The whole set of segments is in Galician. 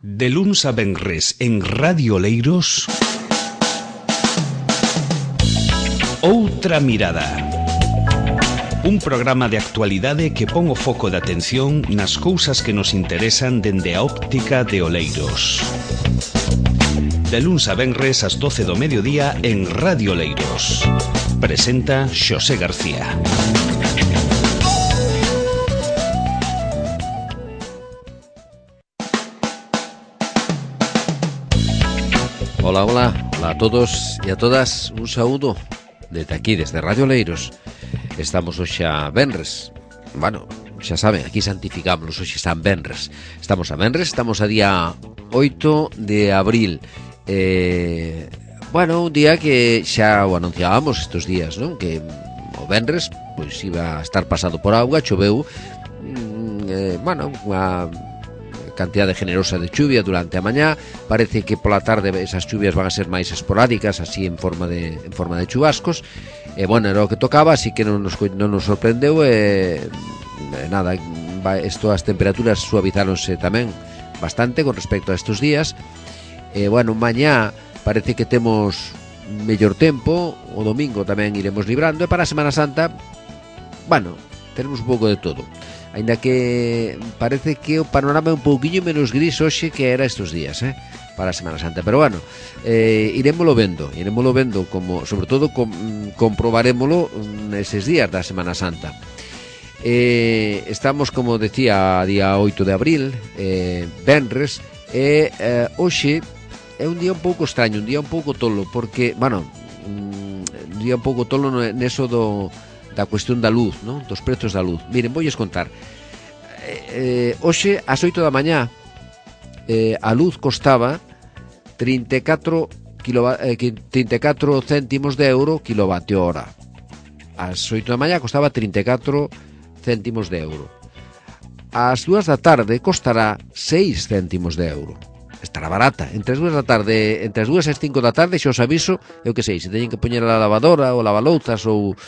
De luns a venres en Radio Oleiros, Outra Mirada. Un programa de actualidade que pon o foco de atención nas cousas que nos interesan dende a óptica de Oleiros. De luns a venres ás 12 do mediodía en Radio Oleiros. Presenta Xosé García. Hola, hola a todos e a todas, un saúdo desde aquí, desde Radio Oleiros. Estamos hoxe a venres. Bueno, xa saben, aquí santificámonos, hoxe San Venres. Estamos a venres, estamos a día 8 de abril. Bueno, un día que xa o anunciábamos estes días, non? Que o venres, pois iba a estar pasado por auga, choveu, bueno, unha cantidade generosa de chuvia durante a mañá. Parece que pola tarde esas chuvias van a ser máis esporádicas, así en forma de chubascos. Bueno, era o que tocaba, así que non nos sorprendeu. Nada, as temperaturas suavizáronse tamén bastante con respecto a estes días. Bueno, mañá parece que temos mellor tempo, o domingo tamén iremos librando, e para a Semana Santa, bueno, tenemos un pouco de todo. Ainda que parece que o panorama é un pouquiño menos gris hoxe que era estes días, para a Semana Santa. Pero bueno, irémolo vendo, como, sobre todo comprobarémolo neses días da Semana Santa. Estamos, como decía, a día 8 de abril, venres, e hoxe é un día un pouco extraño, un día un pouco tolo, porque, bueno, un día un pouco tolo neso da cuestión da luz, non? Dos prezos da luz. Miren, voulles contar. Hoxe, ás 8 da mañá, a luz costaba 34 céntimos de euro kilovatio hora. Ás 8 da mañá costaba 34 céntimos de euro. Ás 2 da tarde costará 6 céntimos de euro. Estará barata. Entre as 2 da tarde, entre as 2 e as 5 da tarde, xa os aviso, eu que sei, se teñen que poñer a lavadora ou lavalouzas ou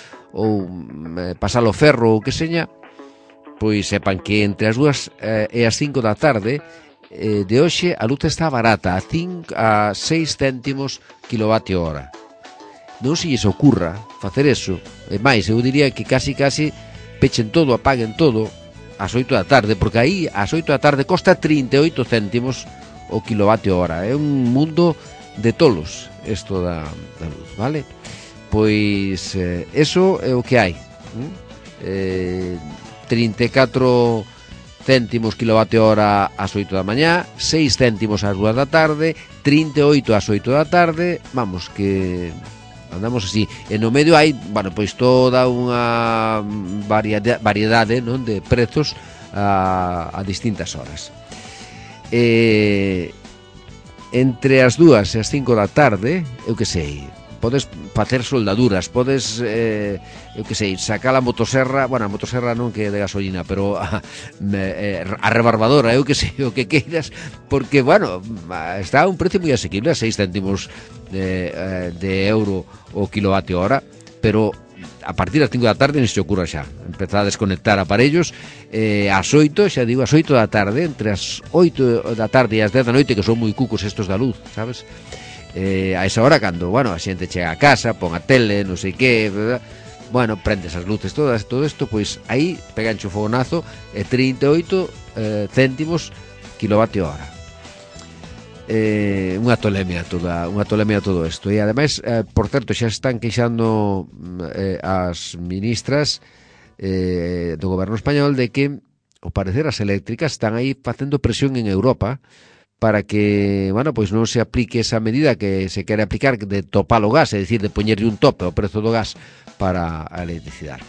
pasar o ferro ou que seña, pois sepan que entre as 2 e as 5 da tarde de hoxe a luz está barata, a 6 céntimos kilovatio hora. Non se lles ocurra facer eso, e máis, eu diría que casi pechen todo, apaguen todo ás 8 da tarde, porque aí ás 8 da tarde costa 38 céntimos o kilovatio hora. É un mundo de tolos isto da luz, vale? Pois eso é o que hai. 34 céntimos kilovatio hora ás 8 da mañá, 6 céntimos ás 2 da tarde, 38 ás 8 da tarde. Vamos, que andamos así. E no medio hai, bueno, pois toda unha variedade, non, de prezos a distintas horas. Entre as 2 e as 5 da tarde, eu que sei, podes facer soldaduras, podes, eu que sei, sacar a motosserra, bueno, a motosserra non que é de gasolina, pero a rebarbadora, eu que sei, o que queiras, porque, bueno, está a un precio moi asequible, a 6 céntimos de euro o kilovatio hora, pero a partir das 5 da tarde non se ocurra xa empezar a desconectar aparellos. Ás 8, xa digo, ás 8 da tarde, entre as 8 da tarde e as 10 da noite, que son moi cucos estos da luz, sabes? A esa hora, cando, bueno, a xente chega a casa, pon a tele, non sei que, bueno, prendes as luces todas, todo isto, pois aí pegancho o fogonazo, 38 céntimos kilovatio hora. Unha tolemia todo isto. E ademais, por certo, xa están queixando as ministras do goberno español de que, ao parecer, as eléctricas están aí facendo presión en Europa para que, bueno, pois non se aplique esa medida que se quere aplicar de topar o gas, é dicir, de poñerlle un tope ao prezo do gas para a electricidade.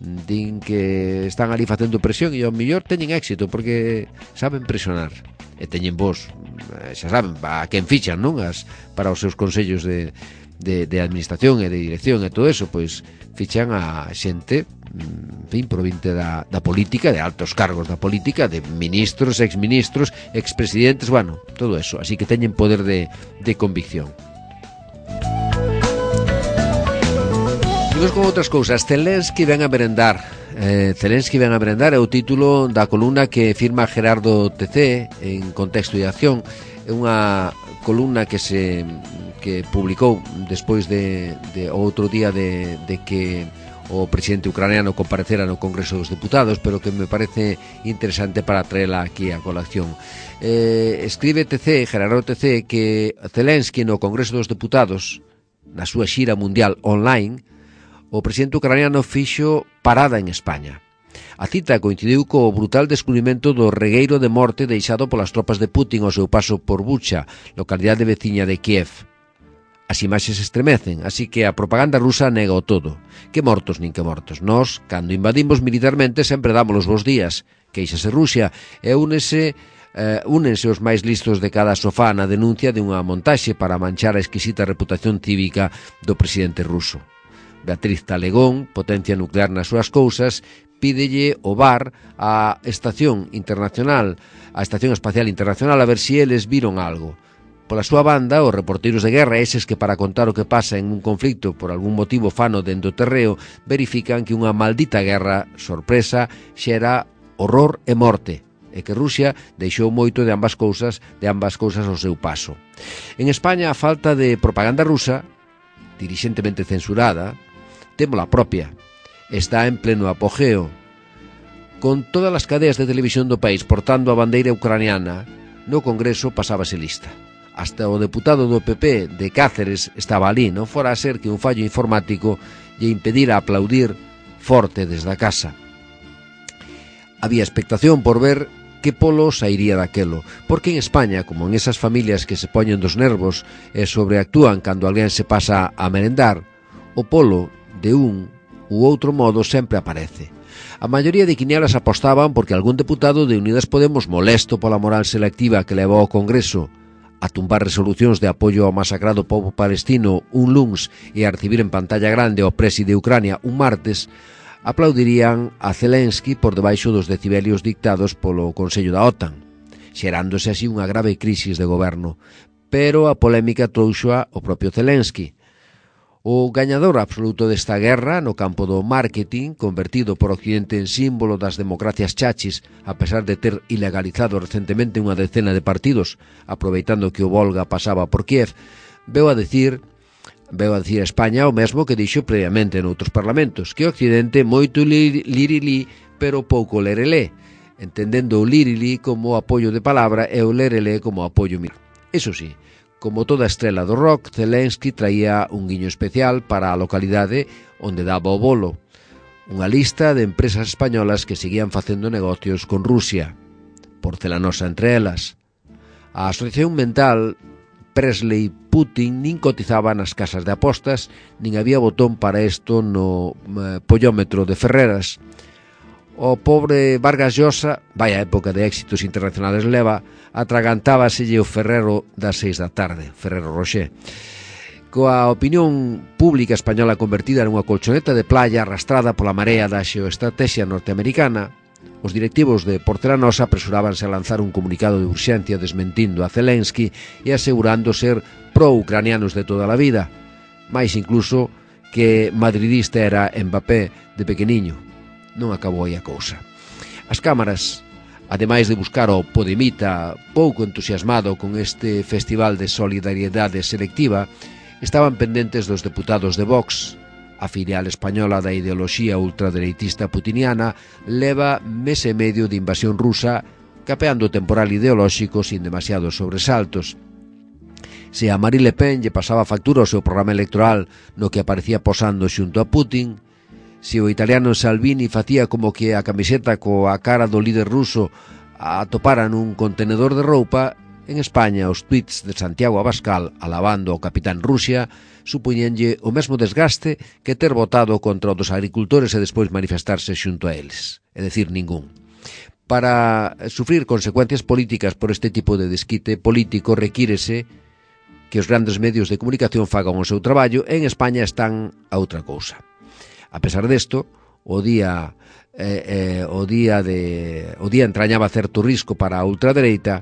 Din que están ali facendo presión e ao mellor teñen éxito porque saben presionar e teñen vos, xa saben, a quen fichan, non? Para os seus consellos de administración e de dirección e todo eso, pois fichan a xente, en fin, provinte da política, de altos cargos da política, de ministros, exministros, expresidentes, bueno, todo eso, así que teñen poder de convicción. Seguimos con outras cousas. Zelensky ven a merendar. Zelensky ven a merendar é o título da columna que firma Gerardo TC en Contexto e Acción. É unha columna que publicou despois de outro día de que o presidente ucraniano comparecera no Congreso dos Deputados, pero que me parece interesante para traela aquí a colación. Escribe TC, Gerardo TC, que Zelensky no Congreso dos Deputados, na súa xira mundial online, o presidente ucraniano fixo parada en España. A cita coincidiu co brutal descubrimento do regueiro de morte deixado polas tropas de Putin ao seu paso por Bucha, localidade veciña de Kiev. As imaxes estremecen, así que a propaganda rusa nega o todo. Que mortos nin que mortos. Nós, cando invadimos militarmente, sempre damos os bons días. Queixase Rusia e únense os máis listos de cada sofá na denuncia de unha montaxe para manchar a exquisita reputación cívica do presidente ruso. Beatriz Talegón, potencia nuclear nas súas cousas, pídelle o VAR á Estación Espacial Internacional a ver si eles viron algo. Pola súa banda, os reporteiros de guerra, eses que para contar o que pasa en un conflicto por algún motivo fano dentro do terreo, verifican que unha maldita guerra sorpresa xera horror e morte, e que Rusia deixou moito de ambas cousas ao seu paso. En España, a falta de propaganda rusa, dirixentemente censurada, témola propia, está en pleno apogeo. Con todas as cadeas de televisión do país portando a bandeira ucraniana, no Congreso pasábase lista. Hasta o deputado do PP de Cáceres estaba ali, non fora a ser que un fallo informático lle impedira aplaudir forte desde a casa. Había expectación por ver que polo sairía daquelo, porque en España, como en esas familias que se poñen dos nervos e sobreactúan cando alguén se pasa a merendar, o polo de un u outro modo sempre aparece. A maioría de quinielas apostaban porque algún deputado de Unidas Podemos, molesto pola moral selectiva que levou ao Congreso a tumbar resolucións de apoio ao masacrado pobo palestino un luns e a recibir en pantalla grande ao presi de Ucrania un martes, aplaudirían a Zelensky por debaixo dos decibelios dictados polo Consello da OTAN, xerándose así unha grave crisis de goberno. Pero a polémica trouxoa o propio Zelensky. O gañador absoluto desta guerra no campo do marketing, convertido por Occidente en símbolo das democracias chachis, a pesar de ter ilegalizado recentemente unha decena de partidos, aproveitando que o Volga pasaba por Kiev, veu a dicir a España o mesmo que dixo previamente noutros parlamentos, que o Occidente moito lirilí, pero pouco lerelé, entendendo o lirilí como apoio de palabra e o lerelé como apoio militar. Eso sí, como toda estrela do rock, Zelensky traía un guiño especial para a localidade onde daba o bolo, unha lista de empresas españolas que seguían facendo negocios con Rusia, porcelanosa entre elas. A asociación mental Presley Putin nin cotizaba nas casas de apostas, nin había botón para isto no pollómetro de Ferreras. O pobre Vargas Llosa, vaya época de éxitos internacionales leva, atragantábaselle o Ferrero das 6 da tarde, Ferrero Rocher. Coa opinión pública española convertida nunha colchoneta de playa arrastrada pola marea da xeoestrategia norteamericana, os directivos de Porcelanosa apresurábanse a lanzar un comunicado de urxencia desmentindo a Zelensky e asegurando ser pro-ucranianos de toda a vida, máis incluso que madridista era Mbappé de pequeniño. Non acabou aí a cousa. As cámaras, ademais de buscar o Podemita pouco entusiasmado con este festival de solidariedade selectiva, estaban pendentes dos deputados de Vox. A filial española da ideoloxía ultradereitista putiniana leva mes e medio de invasión rusa capeando o temporal ideolóxico sin demasiados sobresaltos. Se a Marine Le Pen lle pasaba factura ao seu programa electoral no que aparecía posando xunto a Putin, se o italiano Salvini facía como que a camiseta coa cara do líder ruso atopara nun contenedor de roupa, en España os tuits de Santiago Abascal alabando ao capitán Rusia supoñenlle o mesmo desgaste que ter votado contra os agricultores e despois manifestarse xunto a eles, é dicir, ningún. Para sufrir consecuencias políticas por este tipo de desquite político requírese que os grandes medios de comunicación fagan o seu traballo e en España están a outra cousa. A pesar desto, o día entrañaba certo risco para a ultradereita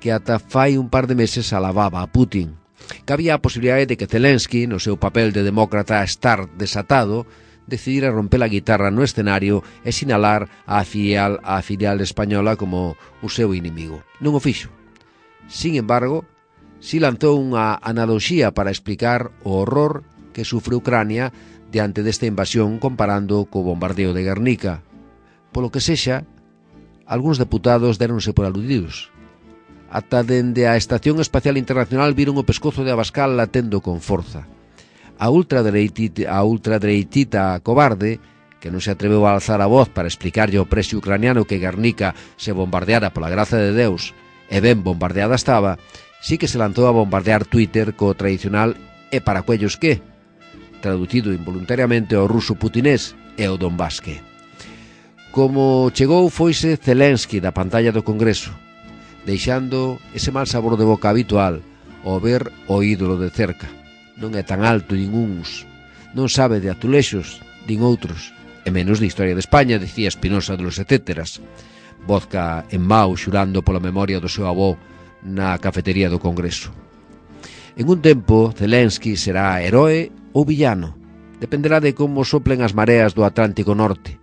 que ata fai un par de meses alababa a Putin. que había a posibilidade de que Zelensky, no seu papel de demócrata estar desatado, decidira romper a guitarra no escenario e sinalar a filial española como o seu inimigo. Non o fixo. Sin embargo, si lanzou unha analoxía para explicar o horror que sufre Ucrania diante desta invasión comparando co bombardeo de Guernica. Polo que sexa, algúns deputados deronse por aludidos. Ata dende a Estación Espacial Internacional viron o pescozo de Abascal latendo con forza. A ultradereitita cobarde, que non se atreveu a alzar a voz para explicarlle ao preso ucraniano que Guernica se bombardeara pola graza de Deus, e ben bombardeada estaba, sí que se lanzou a bombardear Twitter co tradicional "e para cuellos que?", traducido involuntariamente ao ruso putinés e ao donbasque. Como chegou foise Zelensky da pantalla do Congreso, deixando ese mal sabor de boca habitual ao ver o ídolo de cerca. Non é tan alto nin uns, non sabe de azulexos nin outros, e menos de historia de España, dicía Espinosa de los etcéteras. Vodka en mau xurando pola memoria do seu avó na cafetería do Congreso. En un tempo, Zelensky será heroe ou villano. Dependerá de como soplen as mareas do Atlántico Norte,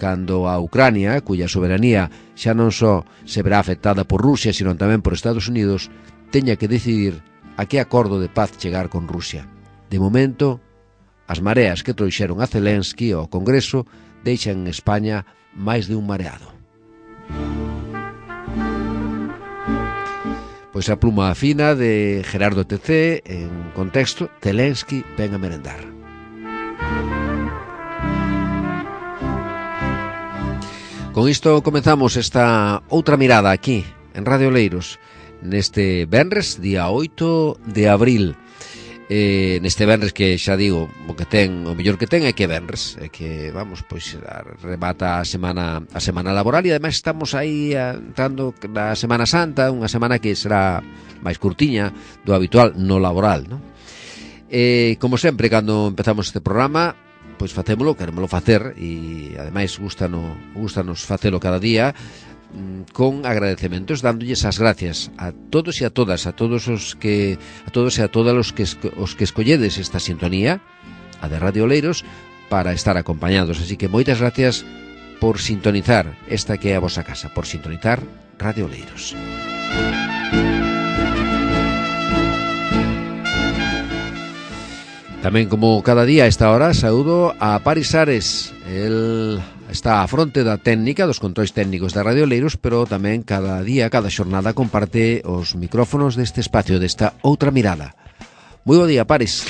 cando a Ucrania, cuya soberanía xa non só se verá afectada por Rusia, sino tamén por Estados Unidos, teña que decidir a que acordo de paz chegar con Rusia. De momento, as mareas que trouxeron a Zelensky ao Congreso deixan en España máis de un mareado. Pois a pluma fina de Gerardo TC, en contexto, Zelensky ven a merendar. Con isto comezamos esta outra mirada aquí, en Radio Oleiros, neste venres, día 8 de abril. Neste venres que xa digo, o mellor que ten é que venres, é que, vamos, pois remata a semana laboral e ademais estamos aí entrando na Semana Santa, unha semana que será máis curtiña do habitual no laboral, non? Como sempre, cando empezamos este programa, pois facémolo, querémolo facer e ademais gustanos facelo cada día con agradecementos, dándolles as gracias a todos e a todas, a todos e a todas os que escolledes esta sintonía, a de Radio Oleiros, para estar acompañados. Así que moitas gracias por sintonizar esta que é a vosa casa, por sintonizar Radio Oleiros. Tamén, como cada día a esta hora, saúdo a Paris Ares. El está á fronte da técnica, dos controis técnicos da Radio Oleiros, pero tamén cada día, cada xornada, comparte os micrófonos deste espacio, desta outra mirada. Moi bo día, Paris.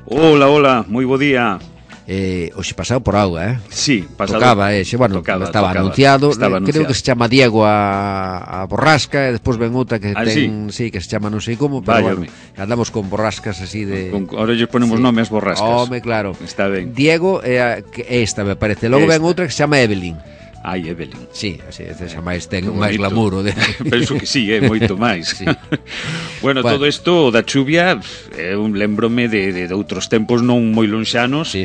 Hola, moi bo día. Hoxe pasado por auga, Sí, pasado. Tocaba, estaba anunciado. Creo que se chama Diego a borrasca, e despois ven outra que ten, sí, que se chama non sei como, pero bueno, andamos con borrascas así de... Ahora lle ponemos nome ás borrascas. Home, claro. Está ben. Diego é esta, me parece. Logo ven outra que se chama Evelyn. Ai, Evelyn. Sí, así, esa máis ten máis glamour. Penso que sí, moito máis. Sí. Bueno, todo isto da chuvia, lembrome de outros tempos non moi lonxanos, sí.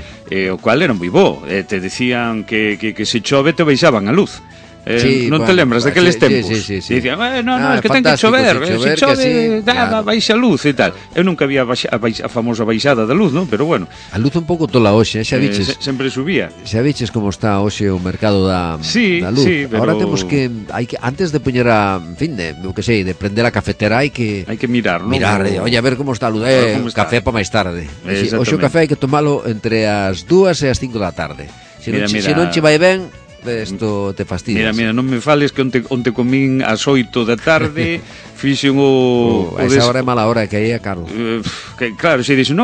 O cual era moi bo. Te decían que se chove te baixaban a luz. Sí, non te lembras daqueles tempos? Sí. Dicían, no, es que ten que chover, se chove, baixa a luz e tal. Eu nunca había a famosa baixada da luz, non? Pero bueno. A luz un pouco tola hoxe, xa viches. Sempre subía. Xa viches como está hoxe o mercado da luz. Sí, pero... Ahora temos que antes de poñer de prender a cafetera hai que mirar, non? Oye, a ver como está a luz, café para máis tarde. Hoxe o café hai que tomalo entre as 2 e as 5 da tarde. Se non che vai ben, isto te fastidias. Mira, non me fales que onte comín ás 8 da tarde, fixen a esa hora é mala hora, que aí é caro. Claro, se dixen,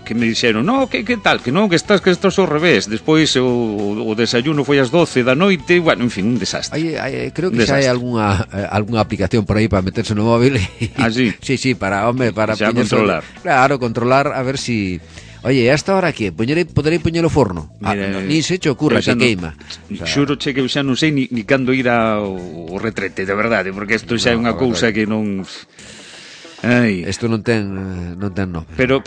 que me dixeron, que tal, que estás ao revés. Despois o desayuno foi ás 12 da noite, bueno, en fin, un desastre. Creo que xa hai algunha aplicación por aí para meterse no móvil. Sí? Sí, para controlar. Claro, controlar, a ver si... Oye, hasta ahora que poderei poñer o forno? Ni se che ocurra que queima. Xuro che que eu xa non sei ni cando ir ao retrete, de verdade, porque isto xa é unha cousa que non... Isto non ten nome. Pero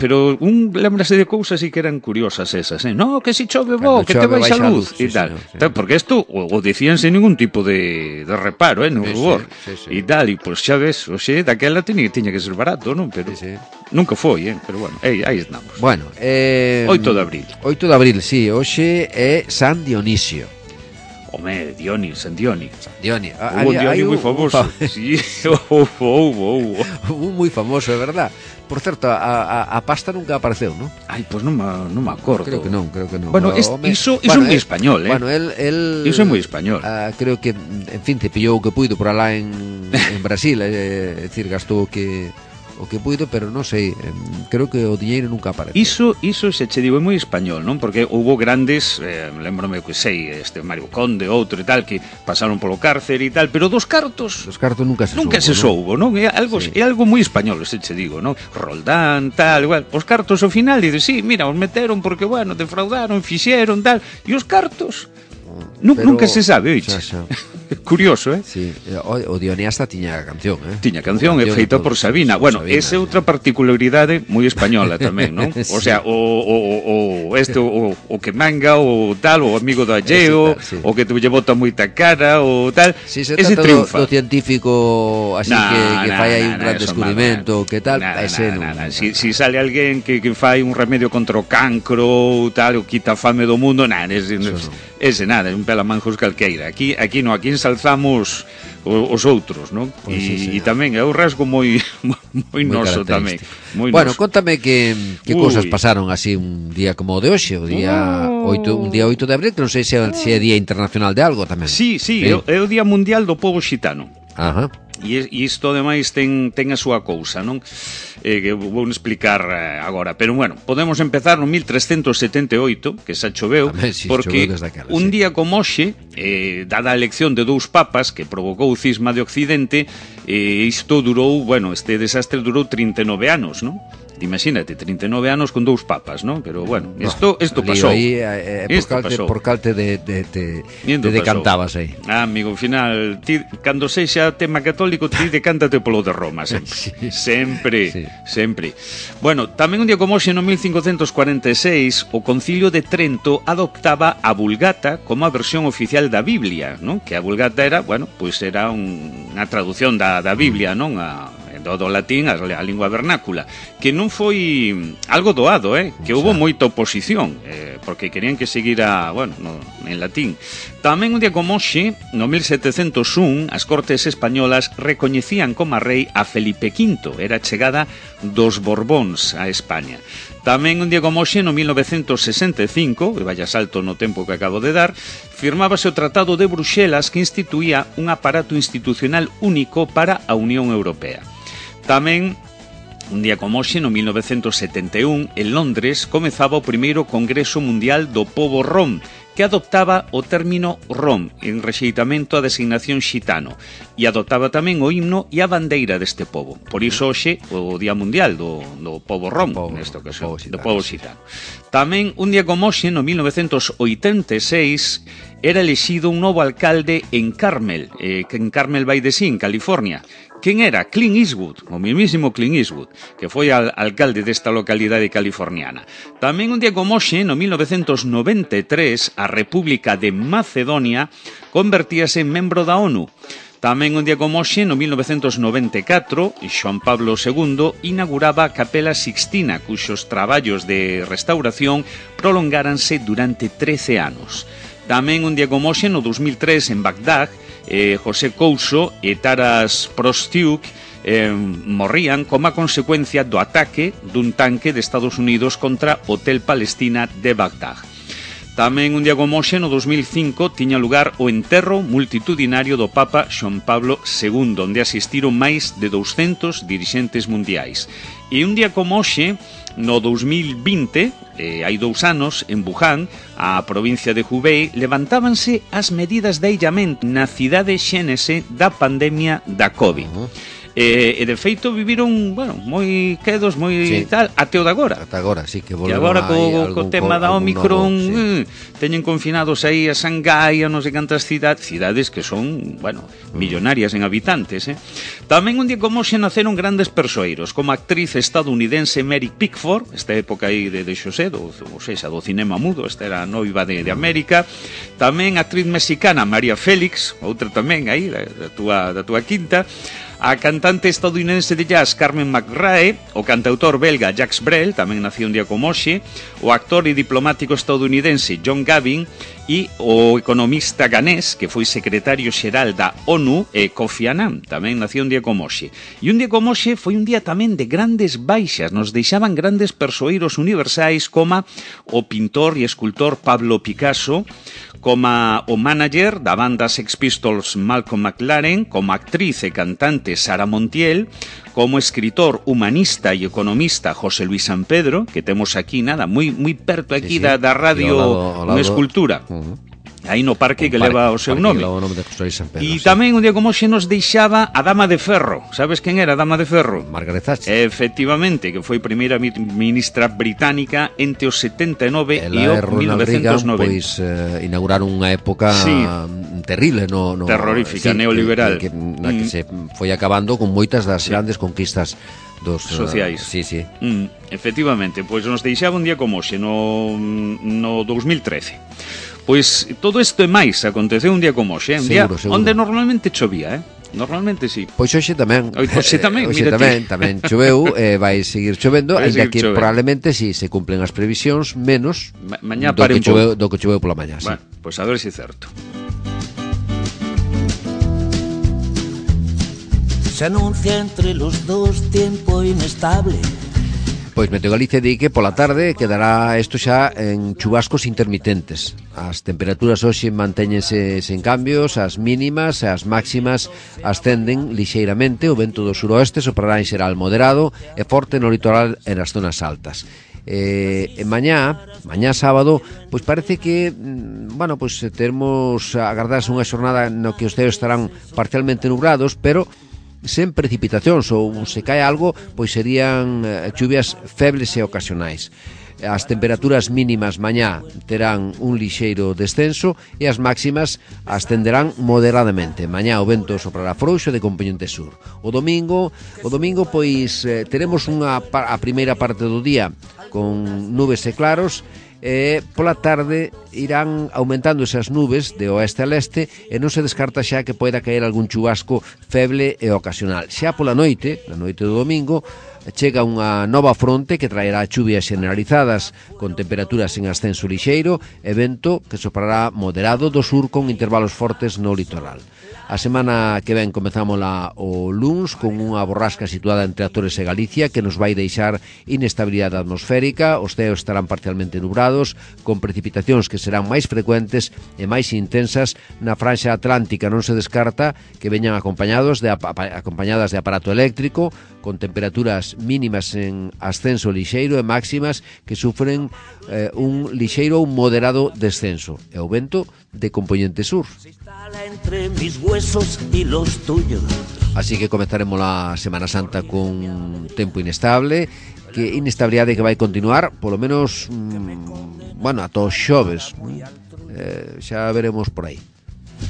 lembrase de cousas e que eran curiosas esas, No, que si chove bo, que te baixa a luz e tal. Porque isto o decían sen ningún tipo de reparo, no rubor. E tal, e pois xa ves, oxe, daquela tiña que ser barato, non? Pero nunca foi, pero bueno, aí estamos. Bueno, 8 de abril. 8 de abril, sí, hoxe é San Dionisio. Home, San Dioni. Hubo un Dioni moi famoso. Sí, houbo. Un moi famoso, é verdad. Por certo, a pasta nunca apareceu, non? Pois non me acordo. Creo que non. Bueno, iso é moi español, Bueno, iso é moi español. Creo que, en fin, te pillou o que puido por alá en Brasil, é dicir, gastou o que puido, pero non sei, creo que o diñeiro nunca aparece. Iso se che digo, é moi español, non? Porque houbo grandes, lembrome que sei, Mario Conde, outro e tal, que pasaron polo cárcer e tal, pero dos cartos nunca se soubo, non? É algo moi español, se che digo, non? Roldán, tal, igual, os cartos ao final, dices, sí, mira, os meteron porque, bueno, defraudaron, fixeron, tal, e os cartos nunca se sabe, oiche. Curioso, Sí, o Dioniasta tiña canción, Tiña canción, é feita por Sabina. Bueno, esa é outra particularidade moi española tamén, non? O sea, o que manga, o tal, o amigo do alleo, o que te lle bota moita cara, o tal, ese triunfa. Do científico, así que fai aí un gran descubrimento, que tal, ese non. Si sale alguén que fai un remedio contra o cancro, tal, o quita a fame do mundo, ese nada, un pelamanjos calqueira. Aquí ensalzamos os outros, non? E tamén é un rasgo moi noso tamén. Bueno, contame que cousas pasaron así un día como o de hoxe, un día 8 de abril, que non sei se é Día Internacional de algo tamén. Sí, é o Día Mundial do Pobo Xitano. Ajá. E isto, ademais, ten a súa cousa, non? Que vou explicar agora. Pero, bueno, podemos empezar no 1378, que xa choveu, porque un día como hoxe, dada a elección de dous papas que provocou o cisma de Occidente, isto durou, este desastre durou 39 anos, non? Imagínate, 39 anos con dous papas, non? Pero, bueno, isto pasou. Por calte de decantabas aí. Amigo, ao final, ti, cando sexa tema católico, ti decántate polo de Roma, sempre. Sempre. Bueno, tamén un día como hoxe, no 1546, o Concilio de Trento adoptaba a Vulgata como a versión oficial da Biblia, non? Que a Vulgata era, era unha traducción da Biblia, non? Do latín a lingua vernácula, que non foi algo doado, que houve moita oposición, porque querían que seguira, en latín. Tamén un día como hoxe, no 1701, as Cortes españolas recoñecían como rei a Felipe V, era chegada dos Borbóns a España. Tamén un día como hoxe, no 1965, e vaya salto no tempo que acabo de dar, firmábase o Tratado de Bruxelas que instituía un aparato institucional único para a Unión Europea. Tamén, un día como hoxe, no 1971, en Londres, comezaba o primeiro Congreso Mundial do Pobo Rom, que adoptaba o término rom en rexeitamento á designación xitano e adoptaba tamén o himno e a bandeira deste pobo. Por iso hoxe o Día Mundial do Pobo Rom, nesta ocasión, do Pobo Xitano. Tamén un día como hoxe, no 1986, era elexido un novo alcalde en Carmel, que en Carmel by the Sea, en California. Quen era? Clint Eastwood, o mismísimo Clint Eastwood, que foi alcalde desta localidade californiana. Tamén un día como hoxe, no 1993, a República de Macedonia convertíase en membro da ONU. Tamén un día como hoxe, no 1994, Xoán Pablo II inauguraba a Capela Sixtina, cuxos traballos de restauración prolongáranse durante 13 anos. Tamén un día como hoxe, no 2003, en Bagdad, José Couso e Taras Prostiuk morrían como a consecuencia do ataque dun tanque de Estados Unidos contra o Hotel Palestina de Bagdad. Tamén un día como hoxe, no 2005, tiña lugar o enterro multitudinario do Papa Xoán Pablo II, onde asistiron máis de 200 dirixentes mundiais. E un día como hoxe, no 2020, hai 2 anos, en Wuhan, a provincia de Hubei, levantábanse as medidas de illamento na cidade xénese da pandemia da COVID. E de feito viviron, bueno, moi quedos, moi tal, até o de agora. Ata agora, sí, que volveron. E agora co tema da Omicron, teñen confinados aí a Shanghai, a non sei cantas cidades que son, bueno, millonarias en habitantes, Tamén un día como hoxe naceron grandes persoeiros, como a actriz estadounidense Mary Pickford, esta época aí de Xosé, do cinema mudo, esta era a noiva de América. Tamén a actriz mexicana María Félix, outra tamén aí da túa quinta. A cantante estadounidense de jazz Carmen McRae, o cantautor belga Jacques Brel, tamén nació un día como hoxe, o actor e diplomático estadounidense John Gavin e o economista ganés que foi secretario xeral da ONU, Kofi Annan, tamén nació un día como hoxe. E un día como hoxe foi un día tamén de grandes baixas, nos deixaban grandes persoeiros universais como o pintor e escultor Pablo Picasso, como o manager da banda Sex Pistols Malcolm McLaren, como actriz e cantante Sara Montiel, como escritor, humanista e economista José Luis San Pedro, que temos aquí, moi perto aquí da radio, unha escultura. Aí no parque que leva o seu nome. E tamén un día como hoxe nos deixaba a Dama de Ferro. Sabes quen era a Dama de Ferro? Margaret Thatcher. Efectivamente, que foi primeira ministra británica entre os 79 e o 1990. Pois inauguraron unha época terrible terrorífica, neoliberal, na que se foi acabando con moitas das grandes conquistas dos sociais. Efectivamente, pois nos deixaba un día como hoxe no 2013. Pois todo isto e máis aconteceu un día como hoxe, un día onde normalmente chovía, Normalmente sí. Pois hoxe tamén. Hoxe tamén, tamén choveu, vai seguir chovendo, ainda que probablemente si se cumplen as previsións menos mañá do que choveu pola mañá, bueno, pois a ver se é certo. Se anuncia entre los dos tiempo inestable. Pois Meteo Galicia di que pola tarde quedará isto xa en chubascos intermitentes. As temperaturas hoxe mantéñense sen cambios, as mínimas e as máximas ascenden lixeiramente, o vento do suroeste soprará en xeral moderado e forte no litoral e nas zonas altas. Mañá sábado, pois parece que pois termos agardarse unha xornada no que os ceos estarán parcialmente nubrados, pero sen precipitacións, ou se cae algo, pois serían chuvias febles e ocasionais. As temperaturas mínimas mañá terán un lixeiro descenso e as máximas ascenderán moderadamente. Mañá o vento soprará frouxo de compoñente sur. O domingo pois teremos a primeira parte do día con nubes e claros, e pola tarde irán aumentando esas nubes de oeste a leste e non se descarta xa que poida caer algún chubasco feble e ocasional. Xa pola noite, na noite do domingo, chega unha nova fronte que traerá chuvias generalizadas con temperaturas en ascenso lixeiro e vento que soprará moderado do sur con intervalos fortes no litoral. A semana que ven comezámola o luns con unha borrasca situada entre Azores e Galicia que nos vai deixar inestabilidade atmosférica, os ceos estarán parcialmente nubrados, con precipitacións que serán máis frecuentes e máis intensas na franxa atlántica. Non se descarta que veñan acompañadas de aparato eléctrico, con temperaturas mínimas en ascenso lixeiro e máximas que sufren un lixeiro ou moderado descenso. E o vento de compoñente sur. Entre mis huesos y los tuyos. Así que comenzaremos la Semana Santa con tempo inestable, que inestabilidade que vai continuar polo menos ata os xoves. Xa veremos por aí.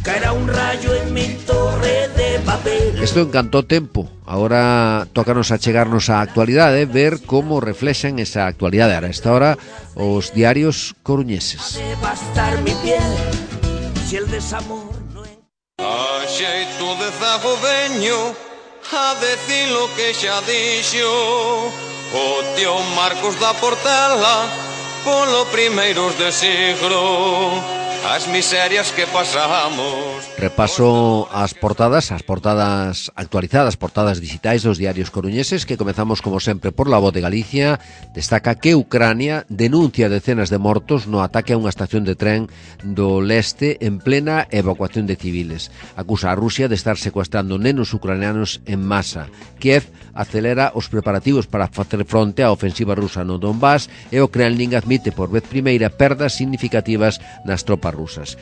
Caerá un rayo en mi torre de papel. Isto encantó tempo. Agora tócanos achegarnos á actualidade, ver como reflexan esa actualidade. A esta hora os diarios coruñeses. Devastar mi piel si el desamor. A xeito de zago veño a decir lo que xa dixo o tío Marcos da Portela polo primeiros de siglo. As miserias que pasamos. Repaso as portadas actualizadas, portadas digitais dos diarios coruñeses, que comezamos como sempre por La Voz de Galicia. Destaca que Ucrania denuncia decenas de mortos no ataque a unha estación de tren do leste en plena evacuación de civiles. Acusa a Rusia de estar secuestrando nenos ucranianos en masa. Kiev acelera os preparativos para facer fronte á ofensiva rusa no Donbass e o Kremlin admite por vez primeira perdas significativas nas tropas rusas.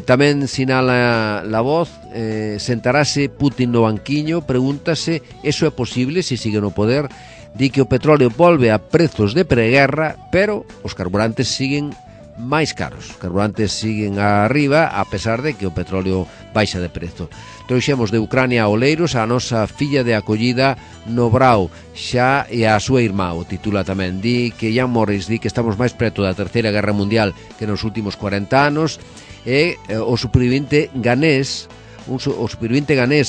Tamén sinala La Voz, sentarase Putin no banquiño, pregúntase, eso é posible se sigue no poder? Di que o petróleo volve a prezos de preguerra, pero os carburantes siguen máis caros. Os carburantes siguen arriba, a pesar de que o petróleo baixa de prezo. Trouxemos de Ucrania a Oleiros a nosa filla de acollida no Brau, xa e a súa irmá, o titula tamén. Di que Ian Morris di que estamos máis preto da Terceira Guerra Mundial que nos últimos 40 anos, e o supervivente ganés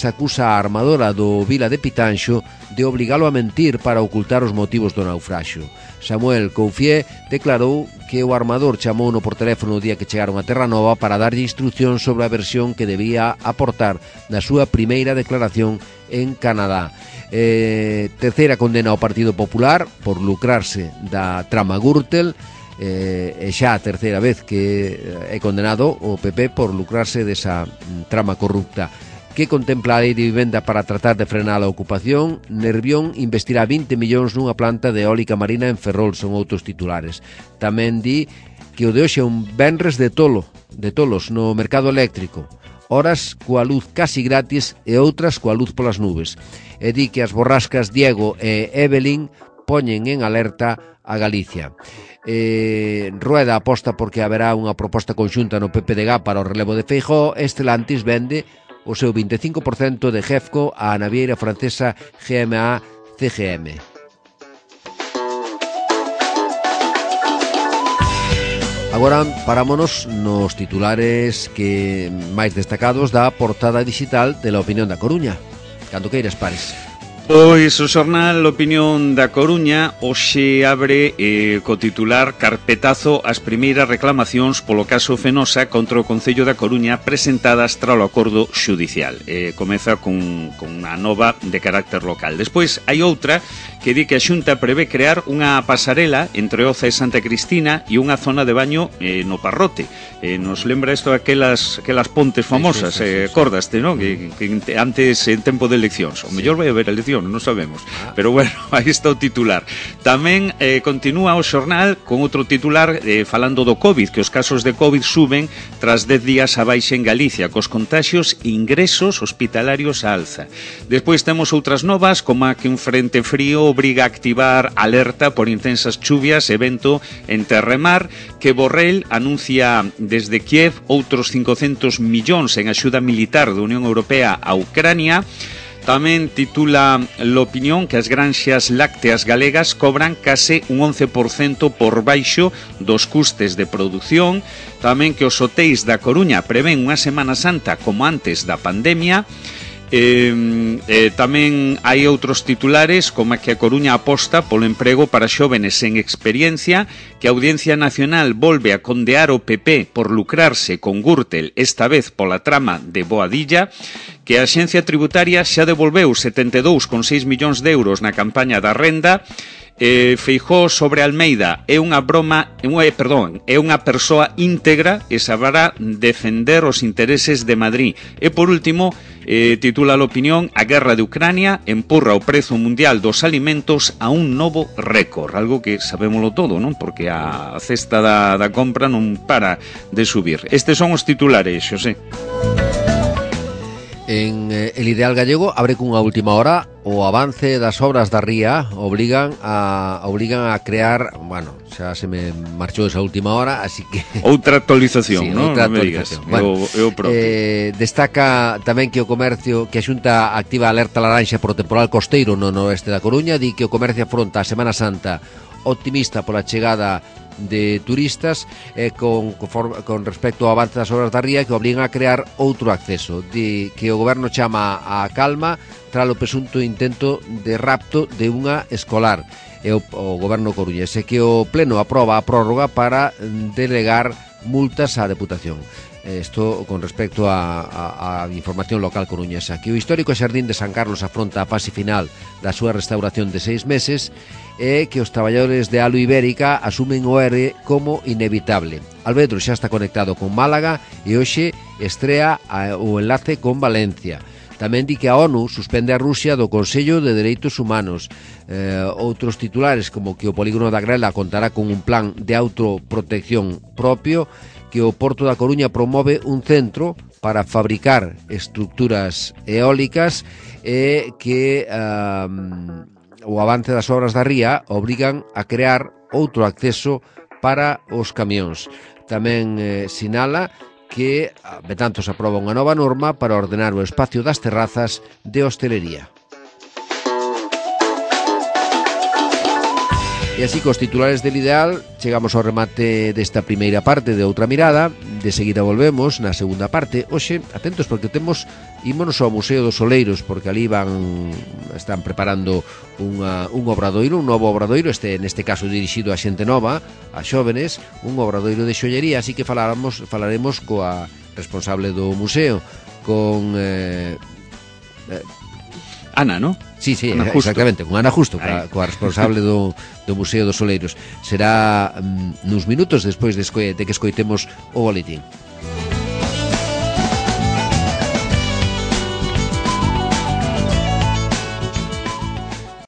acusa a armadora do Vila de Pitanxo de obligalo a mentir para ocultar os motivos do naufraxio. Samuel Couffier declarou que o armador chamouno por teléfono o día que chegaron a Terra Nova para darlle instrucción sobre a versión que debía aportar na súa primeira declaración en Canadá. Terceira condena ao Partido Popular por lucrarse da trama Gürtel, e xa a terceira vez que é condenado o PP por lucrarse desa trama corrupta. Que contempla a lei de vivenda para tratar de frenar a ocupación? Nervión investirá 20 millóns nunha planta de eólica marina en Ferrol, son outros titulares. Tamén di que o de hoxe é un venres de tolos no mercado eléctrico, horas coa luz casi gratis e outras coa luz polas nubes. E di que as borrascas Diego e Evelyn poñen en alerta a Galicia. Rueda aposta porque haberá unha proposta conxunta no PPDG para o relevo de Feijóo. Stellantis vende o seu 25% de Gefco á navieira francesa GMA CGM. Agora parámonos nos titulares que máis destacados da portada digital de La Opinión da Coruña. Cando queiras, Pares. Pois o xornal Opinión da Coruña hoxe abre co titular "Carpetazo ás primeiras reclamacións polo caso Fenosa contra o Concello da Coruña presentadas tralo acordo xudicial". Comeza con unha nova de carácter local. Despois hai outra que di que a Xunta prevé crear unha pasarela entre Oza e Santa Cristina e unha zona de baño no Parrote. Nos lembra isto aquelas pontes famosas, acordaste, non? Que antes en tempo de eleccións. O mellor vai haber eleccións, non sabemos. Pero bueno, aí está o titular. Tamén continúa o xornal con outro titular falando do COVID, que os casos de COVID suben tras 10 días a baixa en Galicia, cos contaxios e ingresos hospitalarios a alza. Despois temos outras novas, como a que un frente frío obriga a activar alerta por intensas chuvias e vento en terra e mar, que Borrell anuncia desde Kiev outros 500 millóns en axuda militar da Unión Europea a Ucrania. Tamén titula l'Opinión que as granxas lácteas galegas cobran case un 11% por baixo dos custes de produción. Tamén que os hotéis da Coruña prevén unha Semana Santa como antes da pandemia. Tamén hai outros titulares como que a Coruña aposta polo emprego para xóvenes sen experiencia, que a Audiencia Nacional volve a condear o PP por lucrarse con Gürtel, esta vez pola trama de Boadilla, que a Axencia Tributaria xa devolveu 72,6 millóns de euros na campaña da renda. Feijóo sobre Almeida é unha persoa íntegra e saberá defender os intereses de Madrid. E por último, titula l'Opinión, a guerra de Ucrania empurra o prezo mundial dos alimentos a un novo récord, algo que sabémolo todo, non? Porque a cesta da compra non para de subir. Estes son os titulares, Xosé. En El Ideal Gallego abre cunha última hora o avance das obras da ría obligan a crear, bueno, xa se me marchou esa última hora, así que outra actualización, sí, non? Outra actualización. Bueno, eu propio. Destaca tamén que o comercio, que a Xunta activa alerta laranxa por o temporal costeiro no noroeste da Coruña, di que o comercio afronta a Semana Santa optimista pola chegada de turistas, con respecto ao avance das obras da ría que obligan a crear outro acceso. Di que o goberno chama a calma tras o presunto intento de rapto de unha escolar, e o goberno coruñés, e que o pleno aproba a prórroga para delegar multas á Deputación. Isto con respecto a información local coruñesa. Que o histórico Xardín de San Carlos afronta a fase final da súa restauración de 6 meses, e que os traballadores de Alu Ibérica asumen o ERE como inevitable. Alvedro xa está conectado con Málaga e hoxe estrea o enlace con Valencia. Tamén di que a ONU suspende a Rusia do Consello de Dereitos Humanos. Outros titulares, como que o polígono da Grela contará con un plan de autoprotección propio, que o Porto da Coruña promove un centro para fabricar estructuras eólicas e que o avance das obras da ría obrigan a crear outro acceso para os camións. Tamén sinala que, betanto, se aproba unha nova norma para ordenar o espacio das terrazas de hostelería. E así, cos titulares del Ideal, chegamos ao remate desta primeira parte de Outra Mirada. De seguida volvemos na segunda parte. Hoxe, atentos, porque ímonos ao Museo dos Oleiros, porque ali están preparando un obradoiro, un novo obradoiro, neste caso dirixido a xente nova, a xóvenes, un obradoiro de xollería, así que falaremos coa responsable do museo, con Ana, ¿no? Sí, Ana exactamente, con Ana Justo, coa responsable do Museo dos Oleiros. Será nuns minutos despois de que escoitemos o boletín.